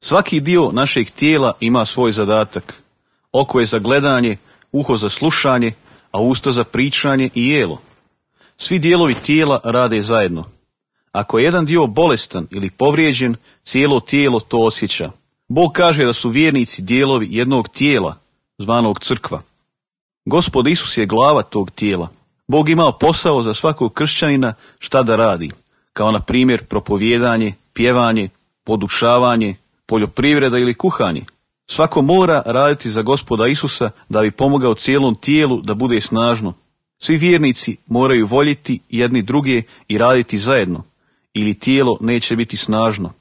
Svaki dio našeg tijela ima svoj zadatak. Oko je za gledanje, uho za slušanje, a usta za pričanje i jelo. Svi dijelovi tijela rade zajedno. Ako je jedan dio bolestan ili povrijeđen, cijelo tijelo to osjeća. Bog kaže da su vjernici dijelovi jednog tijela, zvanog crkva. Gospod Isus je glava tog tijela. Bog ima posao za svakog kršćanina šta da radi, kao na primjer propovijedanje, pjevanje, podučavanje, poljoprivreda ili kuhanje. Svako mora raditi za Gospoda Isusa da bi pomogao cijelom tijelu da bude snažno. Svi vjernici moraju voljeti jedni druge i raditi zajedno, ili tijelo neće biti snažno.